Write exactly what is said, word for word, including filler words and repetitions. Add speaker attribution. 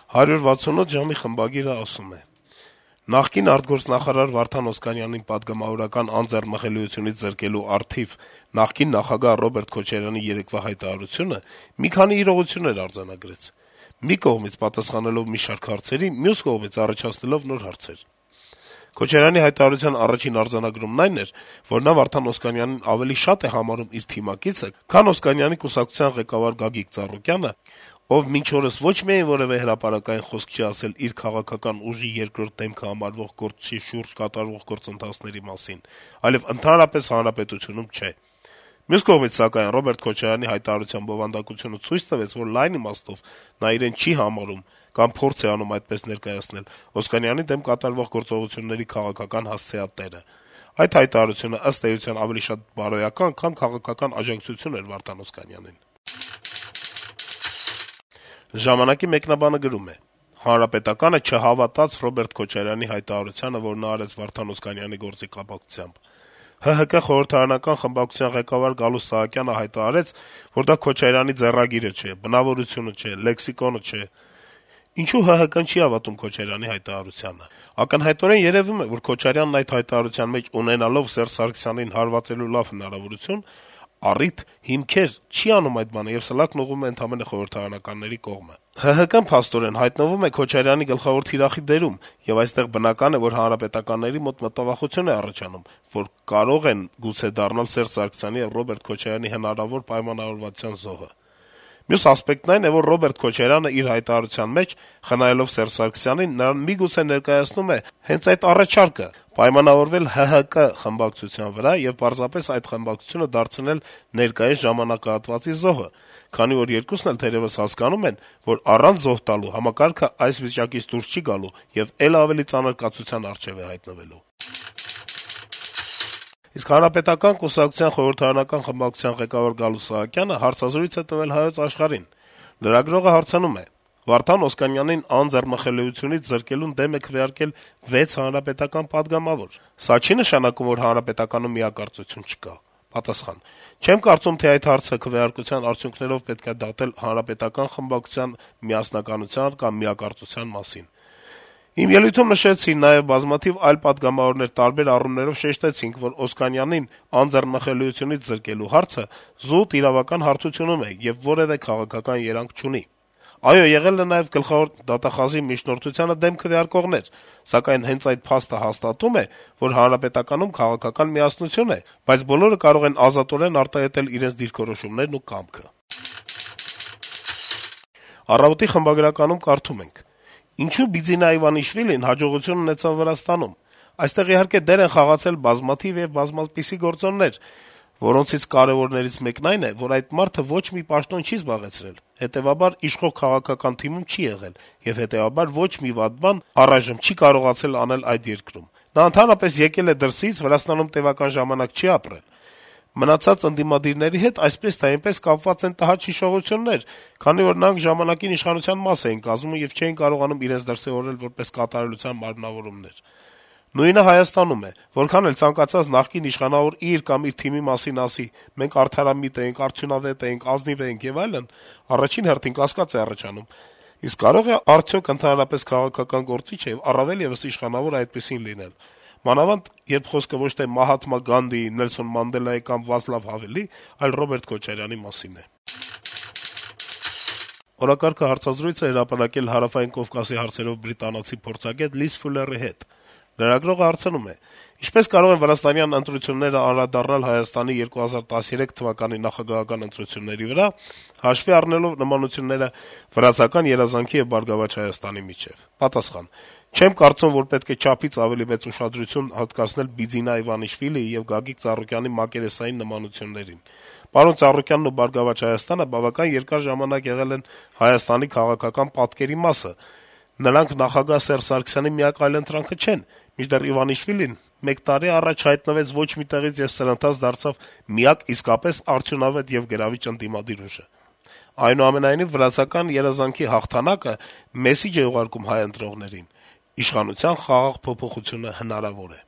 Speaker 1: «հարյուր վաթսունութ ժամ»-ի խմբագիրը ասում է. - «Նախկին արտգործնախարար Վարդան Օսկանյանին պատգամավորական անձեռնմխելիությունից զրկելու առթիվ նախկին նախագահ Ռոբերտ Քոչարյանի երեկվա հայտարարությունը մի քանի իրողություններ արձանագրեց: Մի կողմից պատասխանելով մի շարք հարցերի, մյուս կողմից առաջացնելով նոր հարցեր: Քոչարյանի հայտարարության առաջին արձանագրումն այն էր, որ նա Վարդան Օսկանյանին ավելի շատ է համարում իր թիմակիցը, քան Օսկանյանի կուսակցության ղեկավար Գագիկ Ծառուկյանը, ով մինչ օրս ոչ միայն որեւէ հրապարակային խոսք չի ասել իր քաղաքական ուժի երկրորդ դեմքը համարվող գործչի շուրջ կատարվող գործընթացների մասին, այլեւ ընդհանրապես հանրապետությունում չէ: Մյուս կողմից, սակայն, Ռոբերտ Քոչարյանի հայտարարության բովանդակությունը ցույց տվեց, որ լայն իմաստով նա իրեն չի համարում կամ փորձ է անում այդպես ներկայացնել Օսկանյանի դեմ կատարվող գործողությունների քաղաքական հասցեատերը: Այդ հայտարարությունը, ըստ էության, ավելի շատ բարոյական, քան քաղաքական աջակցություն էր Վարդան Օսկանյանին»: «Ժամանակ»-ի մեկնաբանը գրում է. - «Հանրապետականը չհավատաց Ռոբերտ Քոչարյանի հայտարարությանը, որ նա արեց Վարդան Օսկանյանի գործի կապակցությամբ: ՀՀԿ խորհրդարանական խմբակցության ղեկավար Գալուստ Սահակյանը հայտարարեց, որ դա Քոչարյանի ձեռագիրը չէ, բնավորությունը չէ, լեքսիկոնը չէ: Ինչո՞ւ ՀՀԿ-ն չի հավատում Քոչարյանի հայտարարությանը: Ակնհայտորեն երեւում է, որ Քոչարյանն այդ հայտարարության մեջ ունենալով Սերժ Սարգսյանին հարվածելու լավ հնարավորություն, առիթ, հիմքեր, չի անում այդ բանը եւ սլաքն ուղղում է ընդամենը խորհրդարանականների կողմը: ՀՀԿ-ն, փաստորեն, հայտնվում է Քոչարյանի գլխավոր թիրախի դերում, եւ այստեղ բնական է, որ հանրապետականների մոտ մտավախություն է առաջանում, որ կարող են գուցե դառնալ Սերժ Սարգսյանի եւ Ռոբերտ Քոչարյանի հնարավոր պայմանավորվածության զոհը: Մյուս ասպեկտն այն է, որ Ռոբերտ Քոչարյանը իր հայտարարության մեջ, խնայելով Սերժ Սարգսյանին, նրան միգուցե ներկայացնում է հենց այդ առաջարկը` պայմանավորվել ՀՀԿ խմբակցության վրա եւ պարզապես այդ խմբակցությունը դարձնել ներկայիս ժամանակահատվածի զոհը, քանի որ երկուսն էլ թերեւս հասկանում են, որ առանց զոհ տալու համակարգը այս վիճակից դուրս չի գալու եւ էլ ավելի ծանր կացության առջեւ է հայտնվելու»: Իսկ Հանրապետական կուսակցության խորհրդարանական խմբակցության ղեկավար Գալուստ Սահակյանը հարցազրույց է տվել «Հայոց Աշխարհ»-ին: Լրագրողը հարցնում է. - «Վարդան Օսկանյանին անձեռնմխելիությունից զրկելուն դեմ եք քվեարկել վեց հանրապետական պատգամավոր: Սա չի՞ նշանակում, որ Հանրապետականում միակարծություն չկա»: Պատասխան. - «Չեմ կարծում, թե այդ հարցը քվեարկության արդյունքներով պետք է դատել հանրապետական խմբակցության միասնականության կամ միակարծության մասին: Իմ ելույթում նշեցի, նաեւ բազմաթիվ այլ պատգամավորներ տարբեր առումներով շեշտեցինք, որ Օսկանյանին անձեռնմխելիությունից զրկելու հարցը զուտ իրավական հարթությունում է եւ որեւէ քաղաքական երանգ չունի: Այո, եղել է նաեւ գլխավոր դատախազի միջնորդությանը դեմ քվեարկողներ, սակայն հենց այդ փաստը հաստատում է, որ հանրապետականում քաղաքական միասնություն է, բայց բոլորը կարող են ազատորեն արտահայտել իրենց դիրքորոշումներն ու կամքը»: «Առավոտ»-ի խմբագրականում կարդում ենք. - «Ինչո՞ւ Բիձինա Իվանիշվիլին հաջողություն ունեցավ Վրաստանում: Այստեղ, իհարկե, դեր են խաղացել բազմաթիվ եւ բազմապիսի գործոններ, որոնցից կարեւորներից մեկն այն է, որ այդ մարդը ոչ մի պաշտոն չի զբաղեցրել, հետեւաբար իշխող քաղաքական թիմում չի եղել եւ հետեւաբար ոչ մի վատ բան առայժմ չի կարողացել անել այդ երկրում: Նա ընդհանրապես եկել է դրսից, Վրաստանում տեւական ժամանակ չի ապրել: Մնացած ընդդիմադիրների հետ այսպես թե այնպես կապված են տհաճ հիշողություններ, քանի որ նրանք ժամանակին իշխանության մաս էին կազմում եւ չէին կարողանում իրենց դրսեւորել որպես կատարելության մարմնավորումներ: Նույնը Հայաստանում է: Որքան էլ ցանկացած նախկին իշխանավոր իր կամ իր թիմի մասին ասի` մենք արդարամիտ էինք, արդյունավետ էինք, ազնիվ էինք եւ այլն, առաջին հերթին կասկած է առաջանում` իսկ կարո՞ղ է արդյոք ընդհանրապես քաղաքական գործիչը եւ առավել եւս իշխանավորը այդպիսին լինել: Մանավանդ երբ խոսքը ոչ թե Մահաթմա Գանդhիի, Նելսոն Մանդելայի կամ Վացլավ Հավելի, այլ Ռոբերտ Քոչարյանի մասին է»: «Օրակարգ»-ը հարցազրույց է հրապարակել Հարավային Կովկասի հարցերով բրիտանացի փորձագետ Լիզ Ֆուլերի հետ: Լրագրողը հարցնում է. - «Ինչպե՞ս կարող են վրաստանյան ընտրությունները անդրադառնալ Հայաստանի երկու հազար տասներեք թվականի նախագահական ընտրությունների վրա` հաշվի առնելով նմանությունները վրացական երազանքի եւ «Բարգավաճ Հայաստանի» միջեւ»: Պատասխան. - «Չեմ կարծում, որ պետք է չափից ավելի մեծ ուշադրություն հատկացնել Բիձինա Իվանիշվիլիի եւ Գագիկ Ծառուկյանի մակերեսային նմանություններին: Պարոն Ծառուկյանն ու «Բարգավաճ Հայաստանը» բավական երկար ժամանակ եղել են Հայաստանի քաղաքական պատկերի մասը: Նրանք նախագահ Սերժ Սարգսյանի միակ այլընտրանքը չեն, մինչդեռ Իվանիշվիլին մեկ տարի առաջ հայտնվեց ոչ մի տեղից եւ սրընթաց դարձավ միակ իսկապես արդյունավետ եւ գրավիչ ընդդիմադիր ուժը: Այնուամենայնիվ, վրացական երազանքի հաղթանակը մեսիջ է ուղարկում հայ ընտրողներին. իշխանության խաղաղ փոփոխությունը հնարավոր է»: